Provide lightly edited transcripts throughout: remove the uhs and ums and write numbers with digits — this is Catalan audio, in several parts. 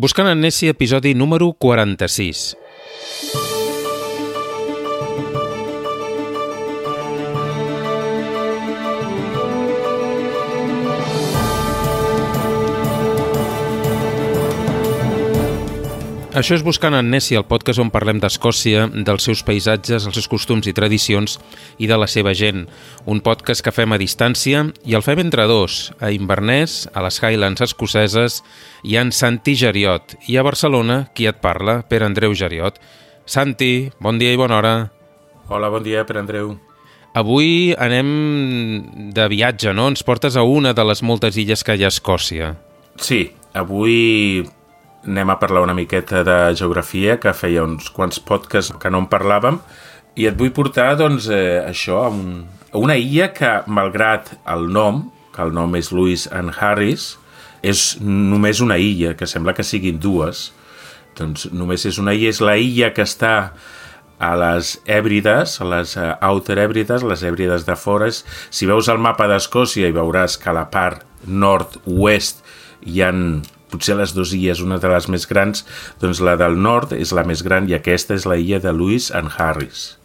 Buscant en Nessie, episodi número 46. Això és Buscant en Nessie, el podcast on parlem d'Escòcia, dels seus paisatges, els seus costums i tradicions i de la seva gent. Un podcast que fem a distància i el fem entre dos, a Inverness, a les Highlands escoceses i en Santi Geriot. I a Barcelona, qui et parla? Pere Andreu Geriot. Santi, bon dia i bona hora. Hola, bon dia, Pere Andreu. Avui anem de viatge, no? Ens portes a una de les moltes illes que hi ha a Escòcia. Sí, avui anem a parlar una miqueta de geografia, que feia uns quants podcasts que no en parlàvem, i et vull portar, doncs, això, a una illa que, malgrat el nom, que el nom és Lewis and Harris, és només una illa, que sembla que siguin dues. Doncs només és una illa, és la illa que està a les Hèbrides, a les Outer Hèbrides, les Hèbrides de fora. Si veus el mapa d'Escòcia i veuràs que a la part nord-oest hi ha potser les dues illes, una de les més grans, doncs la del nord és la més gran i aquesta és la illa de Lewis and Harris.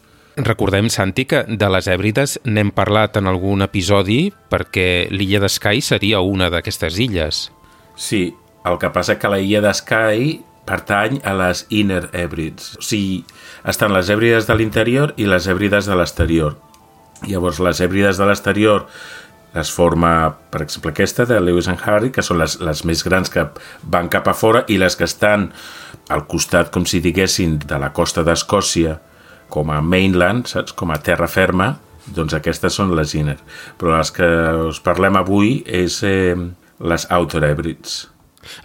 Recordem, Santi, que de les Hèbrides n'hem parlat en algun episodi perquè l'illa de Skye seria una d'aquestes illes. Sí, el que passa que la illa de Skye pertany a les Inner Hèbrides. O sigui, estan les Hèbrides de l'interior i les Hèbrides de l'exterior. Llavors, les Hèbrides de l'exterior es forma, per exemple, aquesta de Lewis and Harris, que són les més grans que van cap a fora, i les que estan al costat, com si diguessin, de la costa d'Escòcia, com a mainland, saps? Com a terra ferma, doncs aquestes són les inner. Però les que us parlem avui és les Outer Hebrides.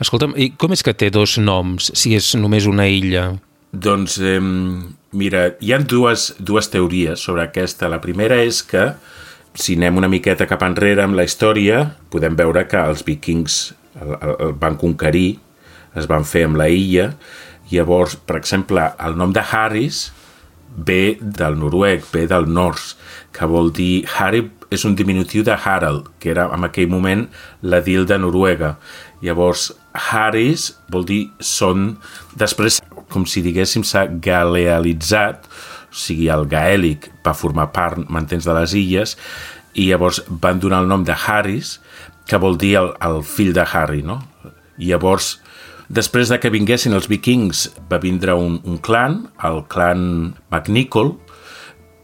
Escolta'm, i com és que té dos noms, si és només una illa? Doncs, mira, hi ha dues teories sobre aquesta. La primera és que, si anem una miqueta cap enrere amb la història, podem veure que els vikings el van conquerir, es van fer amb la illa. Llavors, per exemple, el nom de Harris ve del noruec, ve del nors, que vol dir... Harry és un diminutiu de Harald, que era en aquell moment l'edil de Noruega. Llavors, Harris vol dir són... Després, com si diguéssim, s'ha galealitzat, o sigui, el gaèlic va formar part, m'entens, de les illes, i llavors van donar el nom de Harris, que vol dir el fill de Harry, no? I llavors, després de que vinguessin els vikings, va vindre un clan, el clan MacNicol.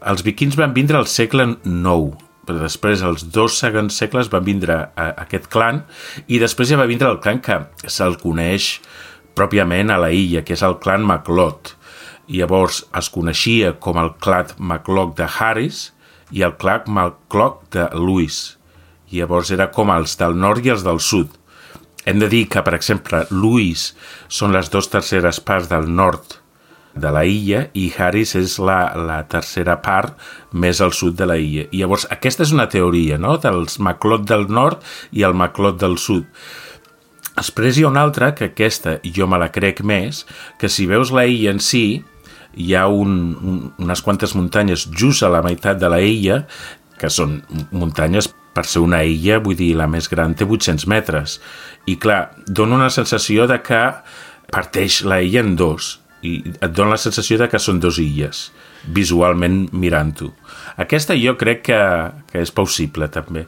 Els vikings van vindre al segle IX, però després, els 2 segons segles, van vindre aquest clan, i després ja va vindre el clan que se'l coneix pròpiament a la illa, que és el clan MacLeod. Llavors es coneixia com el clan MacLeod de Harris i el clan MacLeod de Lewis. Llavors era com els del nord i els del sud. Hem de dir que, per exemple, Lewis són les 2/3 parts del nord de la illa i Harris és la tercera part més al sud de la illa. I llavors aquesta és una teoria, no?, dels MacLeod del nord i el MacLeod del sud. Després hi ha una altra, que aquesta jo me la crec més, que si veus la illa en si, hi ha unes quantes muntanyes just a la meitat de la illa, que són muntanyes, per ser una illa, vull dir, la més gran té 800 metres. I clar, dona una sensació de que parteix la illa en dos, i et dona la sensació de que són dues illes, visualment mirant-ho. Aquesta jo crec que és possible, també.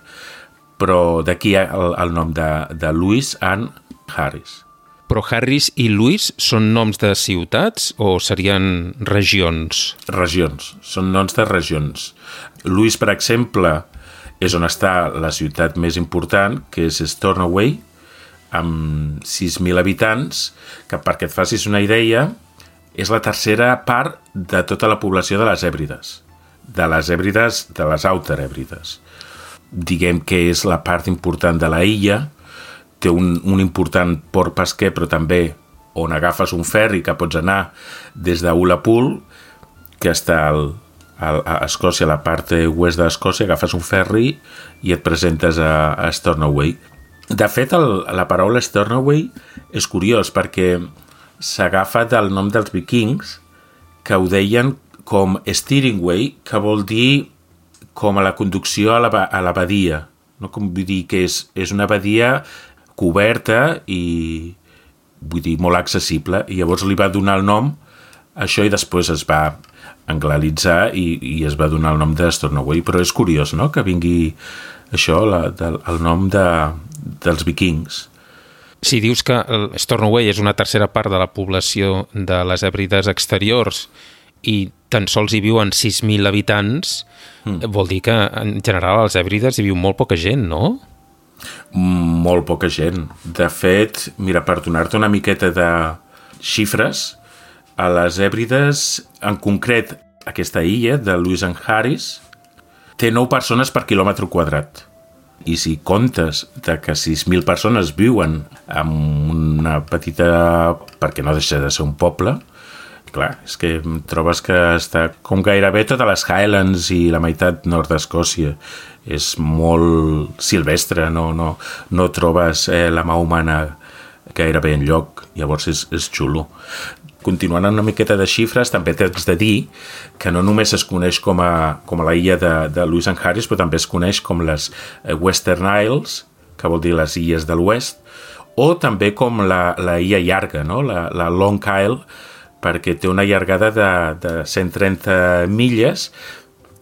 Però d'aquí el nom de Lewis and Harris. Però Harris i Lewis són noms de ciutats o serien regions? Regions, són noms de regions. Lewis, per exemple, és on està la ciutat més important, que és Stornoway, amb 6.000 habitants, que perquè et facis una idea, és la tercera part de tota la població de les Hèbrides. De les Outer Hèbrides. Diguem que és la part important de la illa, té un important port pesquer, però també on agafes un ferri que pots anar des d'Ullapool, que està a Escòcia, a la part oest d'Escòcia, agafes un ferri i et presentes a Stornoway. De fet, la paraula Stornoway és curiós perquè s'agafa del nom dels vikings, que ho deien com steering way, que vol dir com a la conducció a la badia, no? Com vull dir que és una badia coberta i vull dir, molt accessible, i llavors li va donar el nom a això i després es va anglalitzar i es va donar el nom de Stornoway, però és curiós, no?, que vingui això, el nom dels vikings. Si dius que Stornoway és una tercera part de la població de les Hèbrides exteriors i tan sols hi viuen 6.000 habitants, vol dir que en general als Hèbrides hi viu molt poca gent, no? Molt poca gent. De fet, mira, per donar-te una miqueta de xifres, a les Hèbrides, en concret, aquesta illa de Lewis and Harris, té 9 persones per quilòmetre quadrat. I si comptes de que 6.000 persones viuen en una petita... perquè no deixa de ser un poble, clar, és que trobes que està com gairebé totes les Highlands i la meitat nord d'Escòcia. És molt silvestre, no trobes la mà humana gairebé enlloc, llavors és xulo. Continuant una miqueta de xifres, també t'haig de dir que no només es coneix com a la illa de Lewis and Harris, però també es coneix com les Western Isles, que vol dir les illes de l'oest, o també com la illa llarga, no? la Long Isle, perquè té una llargada de 130 milles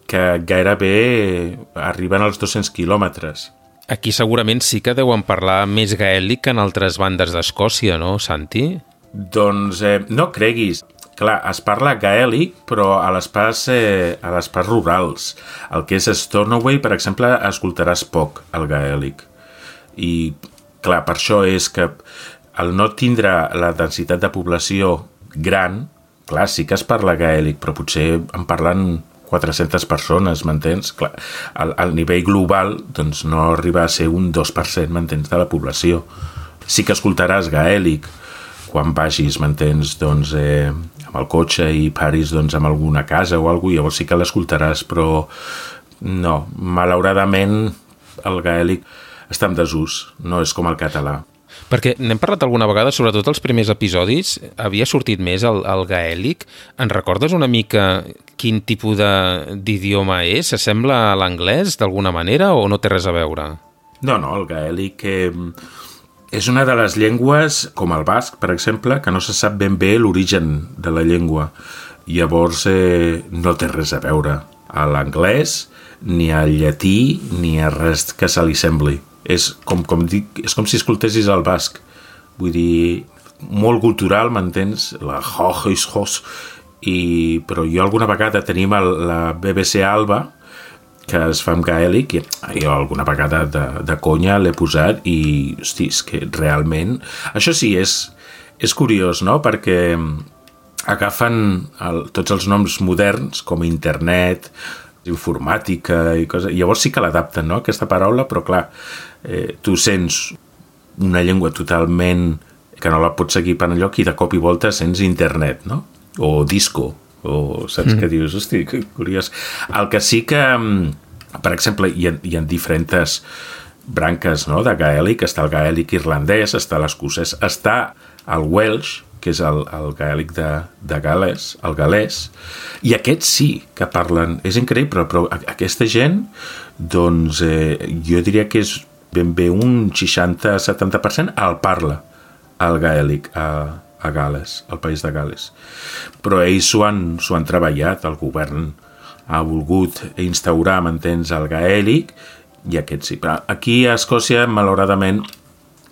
que gairebé arriben als 200 quilòmetres. Aquí segurament sí que deuen parlar més gaèlic que en altres bandes d'Escòcia, no, Santi? Doncs no creguis. Clar, es parla gaèlic, però a les parts rurals. El que és Stornoway, per exemple, escoltaràs poc el gaèlic. I, clar, per això és que al no tindre la densitat de població gran, clar, sí que es parla gaèlic, però potser en parlen 400 persones, m'entens? Clar, al nivell global doncs no arriba a ser un 2%, m'entens, de la població. Sí que escoltaràs gaèlic quan vagis, m'entens, doncs, amb el cotxe i paris doncs, amb alguna casa o alguna cosa, llavors sí que l'escoltaràs, però no, malauradament el gaèlic està en desús, no és com el català. Perquè n'hem parlat alguna vegada, sobretot els primers episodis, havia sortit més el gaèlic. En recordes una mica quin tipus d'idioma és? S'assembla a l'anglès d'alguna manera o no té res a veure? No, el gaèlic és una de les llengües, com el basc, per exemple, que no se sap ben bé l'origen de la llengua. Llavors no té res a veure a l'anglès, ni al llatí, ni a res que se li sembli. És com si escoltessis el basc. Vull dir, molt cultural, m'entens? La hos, però jo alguna vegada tenim la BBC Alba, que es fa en gaèlic, i jo alguna vegada de conya l'he posat i, hosti, és que realment... Això sí, és curiós, no?, perquè agafen tots els noms moderns, com internet, informàtica i coses, llavors sí que l'adapten, no?, aquesta paraula, però clar, tu sents una llengua totalment que no la pots seguir per enlloc i de cop i volta sents internet, no?, o disco, o saps què dius? Hosti, que curiós. El que sí que, per exemple, hi ha diferents branques, no?, de gaèlic. Està el gaèlic irlandès, està l'escocès, està el Welsh, que és el gaèlic de Gal·les, el galès, i aquests sí que parlen, és increïble, però aquesta gent, doncs, jo diria que és ben bé un 60-70% el parla, el gaèlic, a Gal·les, al país de Gal·les. Però ells s'ho han treballat, el govern ha volgut instaurar, m'entens, el gaèlic, i aquest sí. Però aquí a Escòcia, malauradament,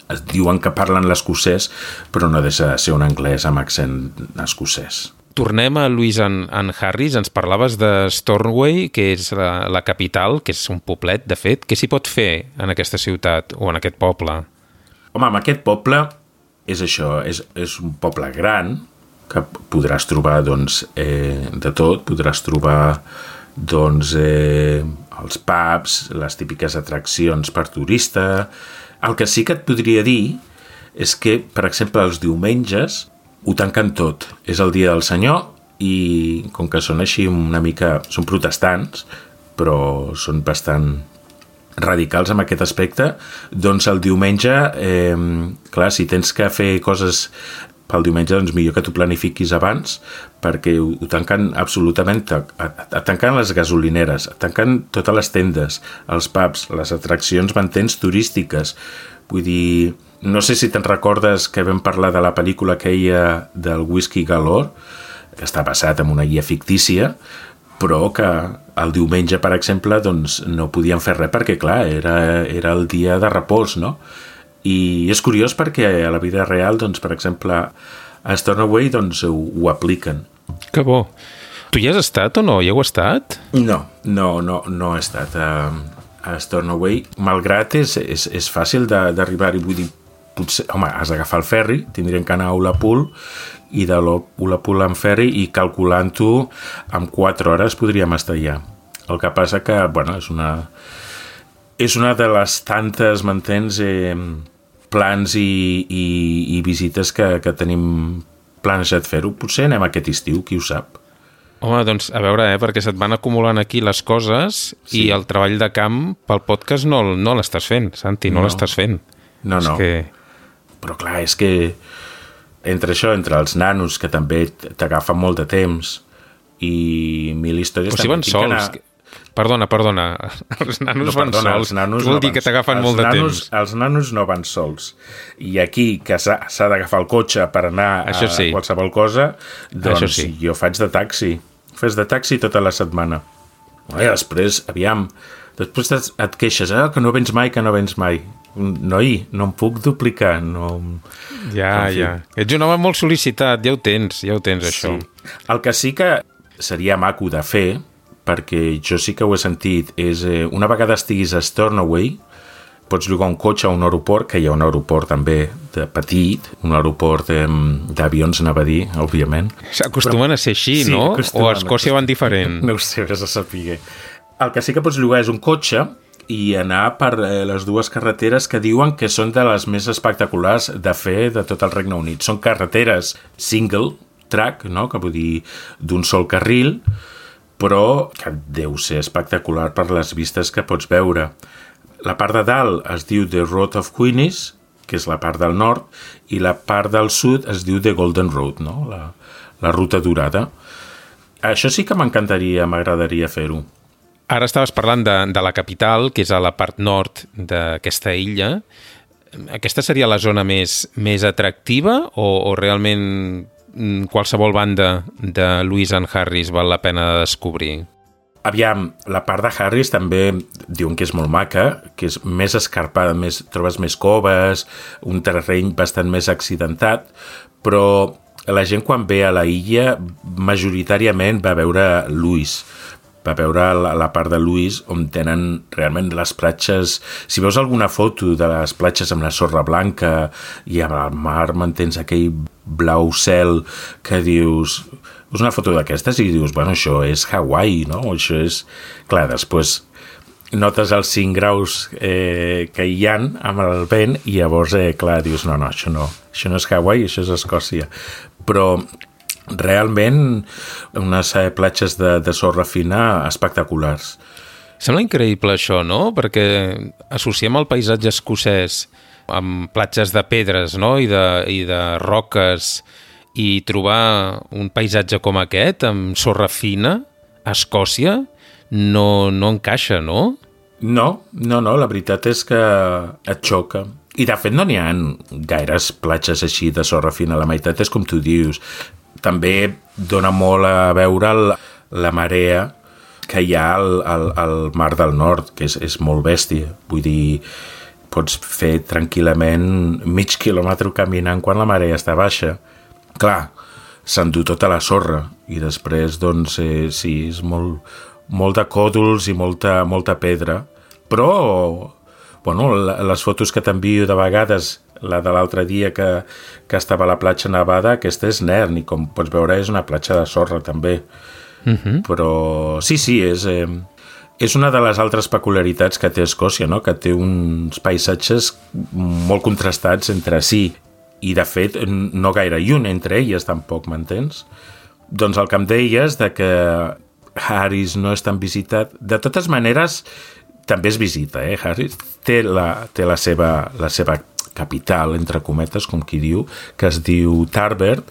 es diuen que parlen l'escocès, però no deixa de ser un anglès amb accent escocès. Tornem a Lewis and Harris. Ens parlaves de Stornoway, que és la capital, que és un poblet, de fet. Què s'hi pot fer en aquesta ciutat o en aquest poble? Home, en aquest poble és això, és un poble gran, que podràs trobar, doncs, de tot. Podràs trobar, doncs, els pubs, les típiques atraccions per turista. El que sí que et podria dir és que, per exemple, els diumenges ho tanquen tot. És el dia del Senyor i, com que són així una mica... Són protestants, però són bastant radicals en aquest aspecte, doncs el diumenge, clar, si tens que fer coses pel diumenge, doncs millor que t'ho planifiquis abans, perquè ho tanquen absolutament, tanquen les gasolineres, tanquen totes les tendes, els pubs, les atraccions, m'entens, turístiques. Vull dir, No sé si te'n recordes que vam parlar de la pel·lícula aquella del Whisky Galore, que està basat en una guia fictícia, però que el diumenge, per exemple, doncs, no podien fer res perquè, clar, era el dia de repòs, no? I és curiós perquè a la vida real, doncs, per exemple, a Stornoway doncs, ho apliquen. Que bo. Tu hi has estat o no? Hi heu estat? No he estat a Stornoway, malgrat és fàcil d'arribar-hi, vull dir, potser, home, has d'agafar el ferri, tindrien que anar a Ullapool, i de Ullapool en ferri, i calculant-ho, en 4 hores podríem estar allà. El que passa que, bueno, és una de les tantes, m'entens, plans i visites que tenim planejat fer-ho. Potser anem aquest estiu, qui ho sap. Home, doncs, a veure, perquè se't van acumulant aquí les coses i el treball de camp pel podcast no l'estàs fent, Santi, no l'estàs fent. No. Però clar, és que entre els nanos, que també t'agafen molt de temps, i 1000 històries... O si van sols... Perdona, els nanos van sols. Què vol dir que t'agafen molt de temps? Els nanos no van sols. I aquí, que s'ha d'agafar el cotxe per anar a qualsevol cosa, doncs jo faig de taxi. Fes de taxi tota la setmana. I després, després et queixes, que no vens mai. Noi, no em puc duplicar. Ja. Ets un home molt sol·licitat, ja ho tens, això. El que sí que seria maco de fer, perquè jo sí que ho he sentit, és una vegada estiguis a Stornoway, pots llogar un cotxe a un aeroport, que hi ha un aeroport també de petit, un aeroport d'avions, anava a dir, òbviament. S'acostumen a ser així, sí, no? O a Escòcia van diferent? No ho sé, vés a saber. El que sí que pots llogar és un cotxe i anar per les 2 carreteres que diuen que són de les més espectaculars de fer de tot el Regne Unit. Són carreteres single track, no? Que vull dir d'un sol carril, però que deu ser espectacular per les vistes que pots veure. La part de dalt es diu The Road of Queenies, que és la part del nord, i la part del sud es diu The Golden Road, no? La ruta dorada. Això sí que m'agradaria fer-ho. Ara estaves parlant de la capital, que és a la part nord d'aquesta illa. Aquesta seria la zona més atractiva o realment qualsevol banda de Lewis and Harris val la pena de descobrir? Aviam, la part de Harris també diuen que és molt maca, que és més escarpada, trobes més coves, un terreny bastant més accidentat, però la gent quan ve a la illa majoritàriament va veure Lewis, va veure la part de Lewis on tenen realment les platges. Si veus alguna foto de les platges amb la sorra blanca i amb el mar, m'entens, aquell blau cel que dius... És una foto d'aquestes i dius, bueno, això és Hawaii, no? Això és... Clar, després notes els 5 graus que hi ha amb el vent i llavors, clar, dius, no, això no és Hawaii, això és Escòcia. Però realment unes platges de sorra fina espectaculars. Sembla increïble això, no? Perquè associem el paisatge escocès amb platges de pedres, no? I de roques, i trobar un paisatge com aquest, amb sorra fina, a Escòcia, no encaixa, no? No, la veritat és que et xoca. I de fet no n'hi ha gaires platges així de sorra fina, la meitat és com tu dius. També dona molt a veure la marea que hi ha al Mar del Nord, que és molt bèstia. Vull dir, pots fer tranquil·lament mig quilòmetre caminant quan la marea està baixa. Clar, s'endú tota la sorra i després, doncs, sí, és molt de còdols i molta pedra. Però, bueno, les fotos que t'envio de vegades, la de l'altre dia que estava a la platja nevada, aquesta és Nairn i com pots veure és una platja de sorra també. Però sí, és una de les altres peculiaritats que té Escòcia, no? Que té uns paisatges molt contrastats entre si. I, de fet, no gaire lluny entre elles, tampoc, m'entens? Doncs el que em deies de que Harris no és tan visitat, de totes maneres, també es visita, Harris té la seva capital, entre cometes, com qui diu, que es diu Tarbert,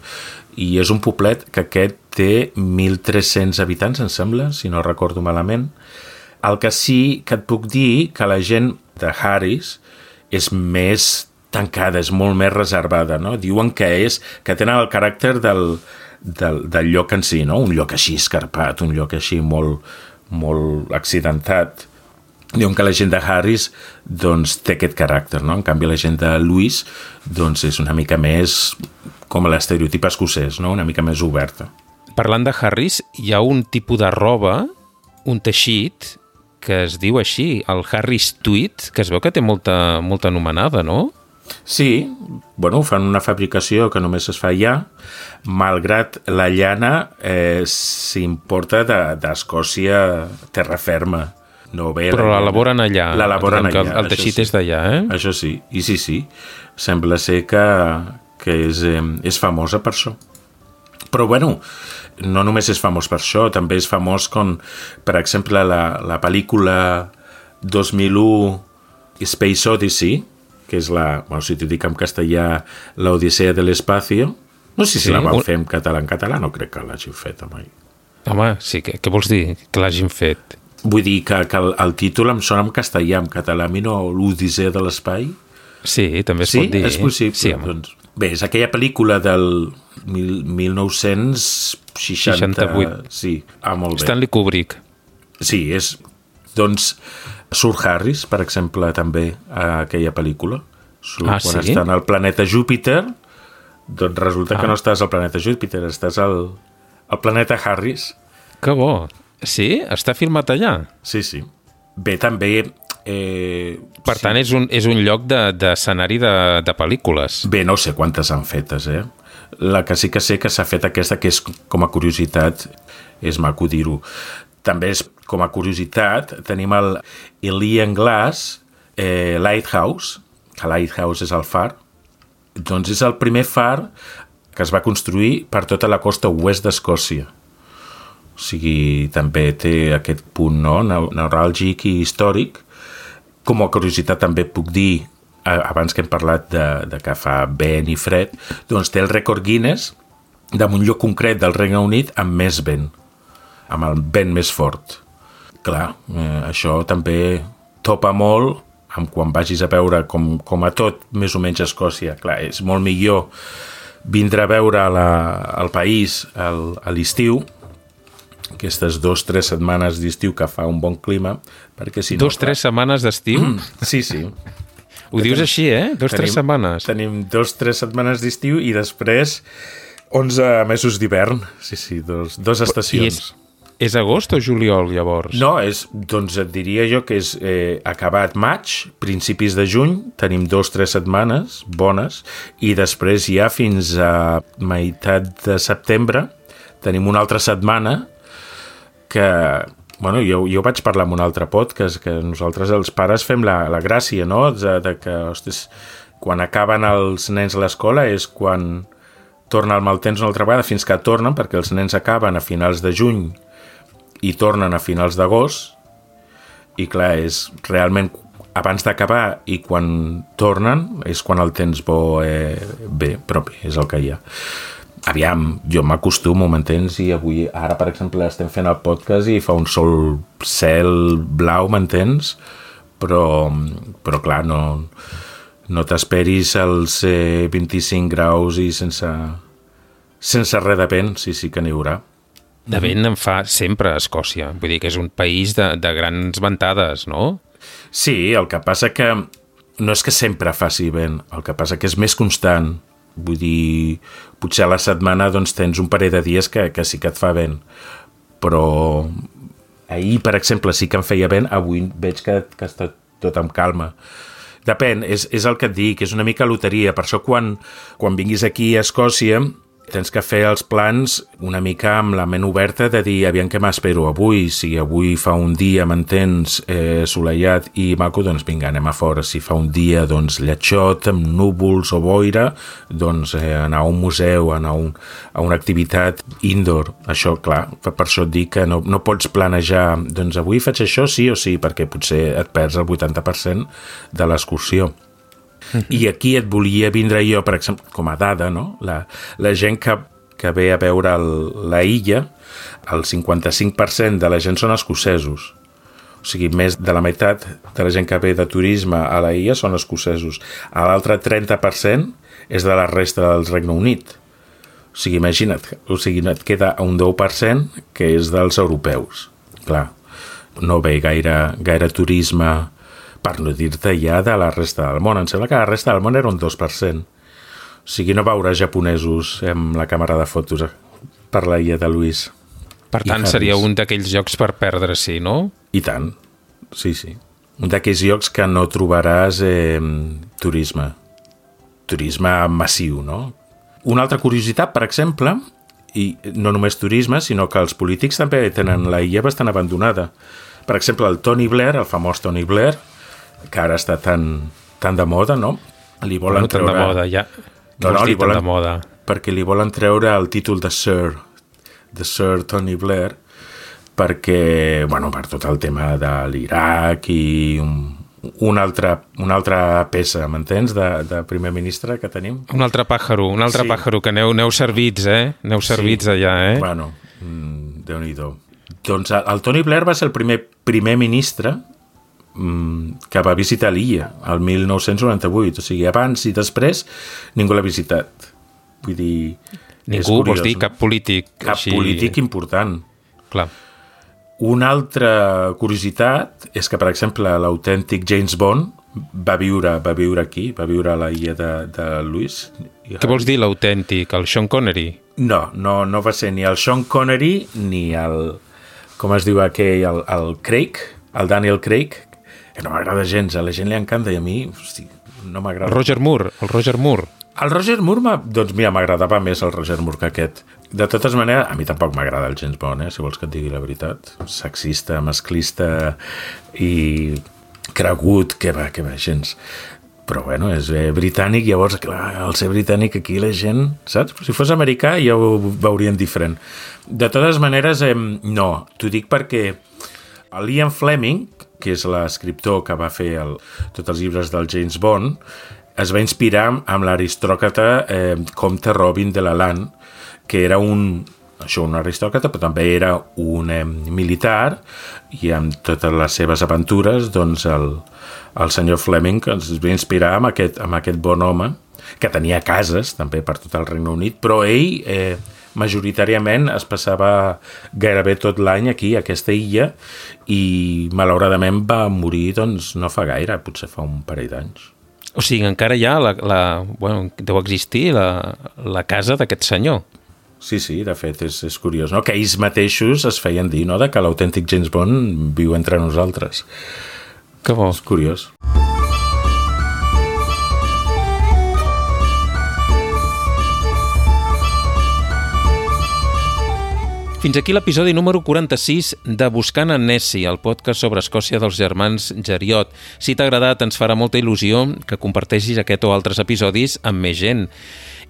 i és un poblet que aquest té 1.300 habitants, em sembla, si no recordo malament. El que sí que et puc dir que la gent de Harris és més tancada, és molt més reservada, no? Diuen que tenen el caràcter del lloc en si, no? Un lloc així escarpat, un lloc així molt, molt accidentat. Diuen que la gent de Harris doncs, té aquest caràcter, no? En canvi, la gent de Lewis doncs, és una mica més com l'estereotip escocès, no? Una mica més oberta. Parlant de Harris, hi ha un tipus de roba, un teixit, que es diu així, el Harris Tweed, que es veu que té molta anomenada, no? Sí, bueno, fan una fabricació que només es fa allà, malgrat la llana s'importa d'Escòcia terra ferma. No ve però l'elaboren allà. L'elaboren allà. El teixit és d'allà, eh? Això sí, i sí. Sembla ser que és famosa per això. Però, bueno, no només és famós per això, també és famós com, per exemple, la pel·lícula 2001 Space Odyssey, que és bueno, si t'ho dic en castellà, l'Odissea de l'Espacio. No sé si la van fer en català. En català no crec que l'hagin fet mai. Home, sí, què vols dir? Que l'hagin fet? Vull dir que el títol em sona en castellà, en català, a mi no, l'Odissea de l'Espai. Sí, també es pot dir. Sí, és possible. Sí, doncs, bé, és aquella pel·lícula del 1968. Sí, molt bé. Stanley Kubrick. Sí, doncs, surt Harris, per exemple, també a aquella pel·lícula. Quan està al planeta Júpiter, doncs resulta que no estàs al planeta Júpiter, estàs al planeta Harris. Que bo. Sí? Està filmat allà? Sí. Bé, també... per tant, és un lloc d'escenari de pel·lícules. Bé, no sé quantes han fetes, La que sí que sé que s'ha fet aquesta, que és com a curiositat, és maco dir-ho. També és com a curiositat, tenim el Elian Glass Lighthouse, que Lighthouse és el far. Doncs és el primer far que es va construir per tota la costa oest d'Escòcia. O sigui, també té aquest punt neuràlgic i històric. Com a curiositat també puc dir, abans que hem parlat de que fa vent i fred, doncs té el rècord Guinness d'un lloc concret del Regne Unit amb més vent, amb el vent més fort. Clar, això també topa molt amb quan vagis a veure com a tot, més o menys a Escòcia. Clar, és molt millor vindre a veure el país a l'estiu, aquestes 2-3 setmanes d'estiu que fa un bon clima, perquè si no... 2-3 setmanes d'estiu? Sí. Ho dius així, 2-3 setmanes? Tenim 2-3 setmanes d'estiu i després 11 mesos d'hivern. Sí, dos estacions. És agost o juliol, llavors? No, doncs et diria jo que és acabat maig, principis de juny, tenim 2-3 setmanes bones, i després ja fins a meitat de setembre tenim una altra setmana que, bueno, jo vaig parlar en un altre podcast, que nosaltres els pares fem la gràcia, no?, de que, ostres, quan acaben els nens a l'escola és quan torna el mal temps una altra vegada, fins que tornen, perquè els nens acaben a finals de juny i tornen a finals d'agost, i clar, és realment abans d'acabar i quan tornen és quan el temps bo bé, però bé, és el que hi ha. Aviam, jo m'acostumo, m'entens? I avui, ara, per exemple, estem fent el podcast i fa un sol cel blau, m'entens? Però clar, no t'esperis als 25 graus i sense res de vent, sí que n'hi haurà. De vent en fa sempre a Escòcia. Vull dir que és un país de grans ventades, no? Sí, el que passa que no és que sempre faci vent, el que passa que és més constant. Vull dir, potser a la setmana doncs, tens un parell de dies que sí que et fa vent. Però ahir, per exemple, sí que em feia vent, avui veig que està tot amb calma. Depèn, és el que et dic, és una mica loteria. Per això quan vinguis aquí a Escòcia tens que fer els plans una mica amb la ment oberta de dir, aviam què m'espero avui, si avui fa un dia, m'entens, assolellat i maco, doncs vinga, anem a fora. Si fa un dia, doncs, lletjot, amb núvols o boira, doncs anar a un museu, anar a una activitat indoor. Això, clar, per això et dic que no pots planejar, doncs avui faig això sí o sí, perquè potser et perds el 80% de l'excursió. I aquí et volia vindre jo, per exemple, com a dada, no? La gent que ve a veure la illa, el 55% de la gent són escocesos. O O sigui, més de la meitat de la gent que ve de turisme a la illa són escocesos. L'altre 30% és de la resta del Regne Unit. O sigui, imagina't, et queda un 10% que és dels europeus. Clar, no ve gaire turisme, per no dir-te ja de la resta del món. Em sembla que la resta del món era un 2%. O sigui, no veuràs japonesos amb la càmera de fotos per la illa de Luís. Per tant, seria un d'aquells llocs per perdre-s'hi, no? I tant, sí. Un d'aquells llocs que no trobaràs turisme massiu, no? Una altra curiositat, per exemple, i no només turisme, sinó que els polítics també tenen la illa bastant abandonada. Per exemple, el Tony Blair, el famós Tony Blair, que ara està tan de moda, no? Li volen treure... Tan de moda, ja. No, li volen... de moda. Perquè li volen treure el títol de Sir Tony Blair, perquè, bueno, per tot el tema de l'Iraq i una altra peça, m'entens, de primer ministre que tenim. Un altre pàjaro que aneu servits, Aneu servits allà, Bueno, Déu-n'hi-do. Doncs el Tony Blair va ser el primer ministre que va visitar l'illa, el 1998. O sigui, abans i després ningú l'ha visitat. Vull dir... Ningú, vols dir cap polític. Cap polític important. Clar. Una altra curiositat és que, per exemple, l'autèntic James Bond va viure aquí, va viure a la illa de Lewis. Què vols dir l'autèntic? El Sean Connery? No va ser ni el Sean Connery ni el... Com es diu aquell? El Craig, el Daniel Craig, que no m'agrada gens, a la gent li encanta i a mi, hosti, no m'agrada. El Roger Moore. El Roger Moore, doncs mira, m'agradava més el Roger Moore que aquest. De totes maneres, a mi tampoc m'agrada el James Bond, si vols que et digui la veritat. Sexista, masclista i cregut, que va, gens. Però bueno, és britànic, llavors, clar, al ser britànic aquí la gent, saps? Si fos americà ja ho veurien diferent. De totes maneres, no, t'ho dic perquè el Ian Fleming, que és l'escriptor que va fer tots els llibres del James Bond, es va inspirar amb l'aristòcrata comte Robin de Lalande, que era un aristòcrata, però també era un militar, i amb totes les seves aventures, doncs el senyor Fleming es va inspirar amb aquest bon home, que tenia cases també per tot el Regne Unit, però ell majoritàriament es passava gairebé tot l'any aquí, a aquesta illa, i malauradament va morir doncs, no fa gaire, potser fa un parell d'anys. O sigui, encara hi ha deu existir la casa d'aquest senyor. Sí, de fet, és curiós, no? Que ells mateixos es feien dir, no?, de que l'autèntic James Bond viu entre nosaltres. Que bo. És curiós. Fins aquí l'episodi número 46 de Buscant en Nessie, el podcast sobre Escòcia dels germans Jeriot. Si t'ha agradat, ens farà molta il·lusió que comparteixis aquest o altres episodis amb més gent.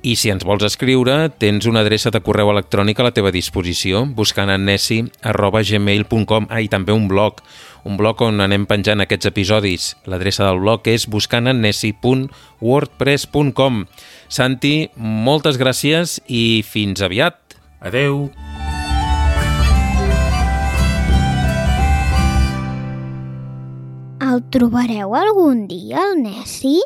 I si ens vols escriure, tens una adreça de correu electrònic a la teva disposició, buscantennessie@gmail.com. I també un blog on anem penjant aquests episodis. L'adreça del blog és buscantennessie.wordpress.com. Santi, moltes gràcies i fins aviat. Adeu. El trobareu algun dia, el Nessie?